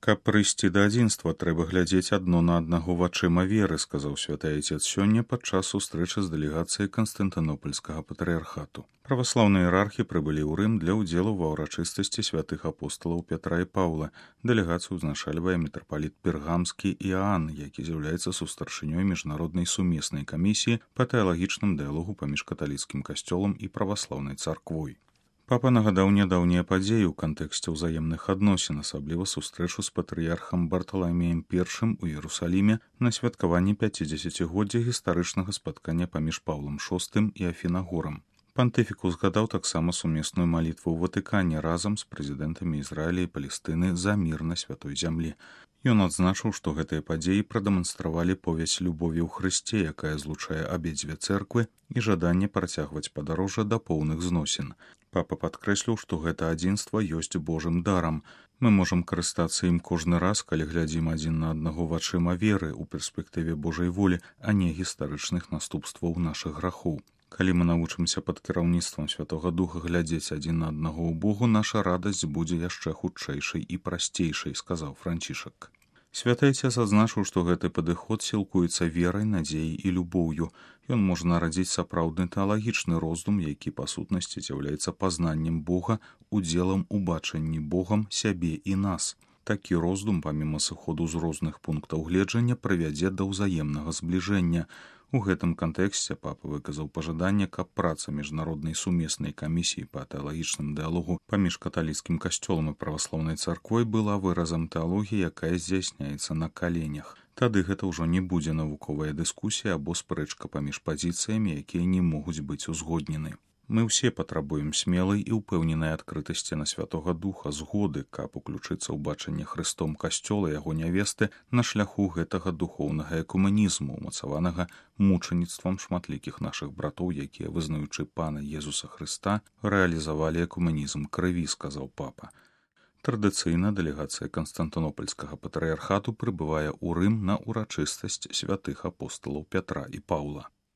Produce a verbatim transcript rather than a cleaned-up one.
Каб прыйсці да адзінства, трэба глядзець адно на аднаго вачыма веры, сказаў святы айцец сёння падчас сустрэчы з дэлегацыяй Канстантынопольскага патрыярхату. Праваслаўныя іерархі прыбылі ў Рым для ўдзелу ва ўрачыстасці святых апосталаў Пятра і Паўла. Дэлегацыю ўзначальвае мітрапаліт Пергамскі Іаан, які з'яўляецца сустаршынёй міжнароднай сумеснай камісіі па тэалагічным дыялогу паміж каталіцкім касцёлам і праваслаўнай царквой. Папа нагадаў нядаўнія падзеі ў кантэксце ўзаемных адносін, асабліва сустрэчу з патрыярхам Барталамеем першым у Іерусаліме на святкаванні пяцідзесяцігоддзя гістарычнага спаткання паміж Паўлам шостым і Афінагорам. Пантыфік узгадаў таксама сумесную малітву ў Ватыкане разам з прэзідэнтамі Ізраіля і Палестыны за мір на святой зямлі. Ён адзначыў, што гэтыя падзеі прадэманстравалі повязь любові ў Хрысце, якая злучае абедзве цэрквы, і жаданне працягваць падарожжа да поўных зносін. Папа падкрэсліў, што гэта адзінства ёсць Божым дарам. Мы можам карыстацца ім кожны раз, калі глядзім адзін на аднаго вачыма веры ў перспектыве Божай волі, а не гістарычных наступстваў нашых грахоў. Калі мы навучымся пад кіраўніцтвам Святога Духа глядзець адзін на аднаго ў Богу, наша радасць будзе яшчэ хутчэйшай і прасцейшай, сказаў Францішак. Святы айцец адзначыў, што гэты падыход сілкуецца верай, надзеяй і любоўю. Ён можа нарадзіць сапраўдны тэалагічны роздум, які па сутнасці з'яўляецца пазнаннем Бога, удзелам у бачанні Богам сябе і нас. Такі роздум, паміма сыходу з розных пунктаў гледжання, прывядзе да ўзаемнага збліжэння. У гэтым кантэксце папа выказаў пажаданне, каб праца міжнароднай сумеснай камісіі па тэалагічным дыялогу паміж каталіцкім касцёлам і праваслаўнай царквой была выразам тэалогіі, якая здзяйсняецца на каленях. Тады гэта ўжо не будзе навуковая дыскусія або спрэчка паміж пазіцыямі, якія не могуць быць узгоднены. Мы ўсе патрабуем смелай і ўпэўненай адкрытасці на Святога Духа, згоды, каб уключыцца ў бачанне Хрыстом касцёла яго нявесты на шляху гэтага духоўнага экуменізму, умацаванага мучаніцтвам шматлікіх нашых братоў, якія, вызнаючы Пана Езуса Хрыста, рэалізавалі экуменізм крыві, сказаў папа. Традыцыйна дэлегацыя Канстантынопольскага патрыярхату прыбывае ў Рым на ўрачыстасць святых апосталаў Пятра і Паўла.